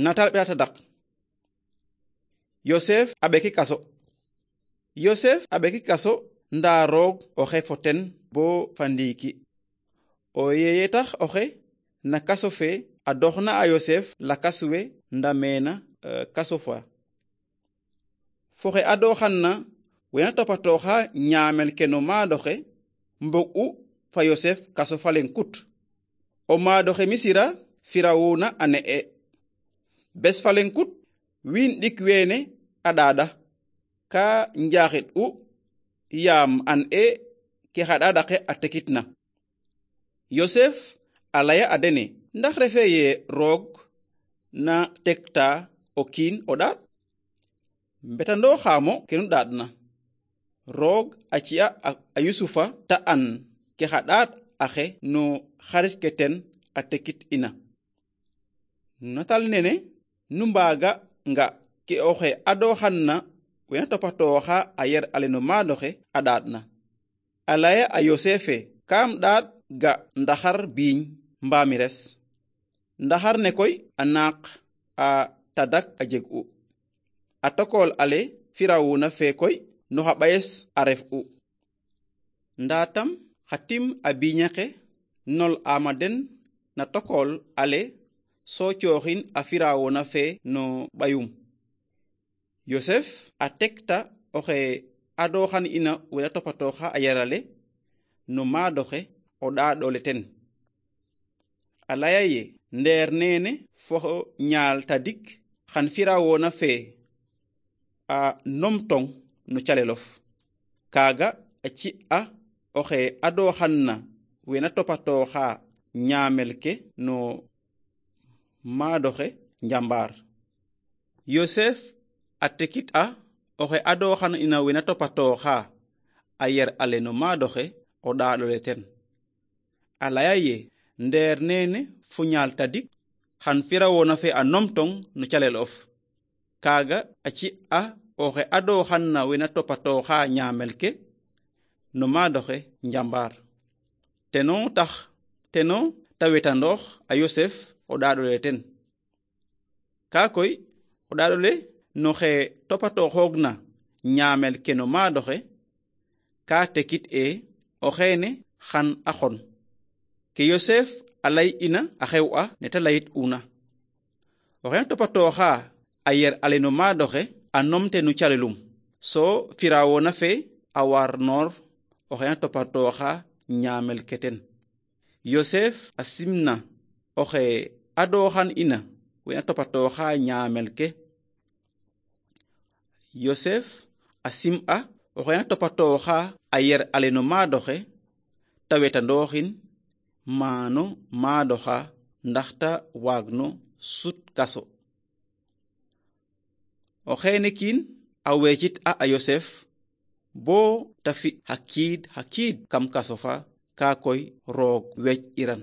natal ɓe dak yosef aɓeki kaso. yosef aɓeki kaso nda roog oxe foten bo fandiki o yeye tax oxe na kaso fe a doxna a yosef lakas we nda mena kaso fa foxe a doxanna wena topatoxa ñaamel ke no maadoxe mbog u fa yosef kaso falen kut o maadoxe misira firawuna a ne'e bes falen kut wiin ɗik weene a ɗaɗa ka njaxit u yaam an ke xa ɗaɗake a tekitna. yosef a laya a dene ndax refe ye roog na tekta o kiin o ɗaɗ mbetando xaamo kenu ɗaɗna roog a ci'a a yusufa ta an ke xa ɗaɗ axe no xarit ke ten a tekit ina. natal nene nu mbaaga nga ke oxe a doxanna wena topatoxa a yer ale no maadoxe a ɗaɗna a laya a yosefe kam ɗaɗ ga ndaxar biiñ mbaami res ndaxar ne koy a naaq a tadak a jeg u a tokol ale firawuna fe koy no xa ɓayes a ref u nda tam xa tim a biiñaxe nol ama den na tokol ale so cooxin a firawuna fe no ɓayum. yosef a tekta oxe a doxan ina wena topatoxa a yarale no maadoxe o ɗaɗole ten a laya ye ndeer nene fo ñaal tadik xan firawona fe a nomtong no calelof kaga a ci'a oxe a doxanna wena topatoxa ñaamel ke no maadoxe njambar. yosef a tekit a oxe a doxan ina wena topatoxa a yer ale no maadoxe o ɗaɗole ten a laya ye ndeer nene fo ñaal tadik xan firawona fe a nomtong no calel of kaga a ci'a oxe a doxanna wena topatoxa ñaamel ke no maadoxe njambar teno ta wetandoox a yosef o ɗaɗole ten ka koy o ɗaɗole no xe topatoxoogna ñaamel ke no maadoxe ka tekit o xeene xan a xon ke yosef a lay ina a xew'a ne ta layit una o xeene topatoxa a yer ale no maadoxe a nomte no calelum so firawona fe a war noor o xeene topatoxa ñaamel ke ten. yosef a simna oxe a doxan ina wena topatoxa ñaamel ke. yosef a sim'a oxe na topatoxa a yer ale no maadoxe ta wetandooxin maano maadoxa ndaxta waagno sut kaso o xeene kiin a weecit a yosef bo ta fi xa kiid kam kaso fa ka koy roog weec iran.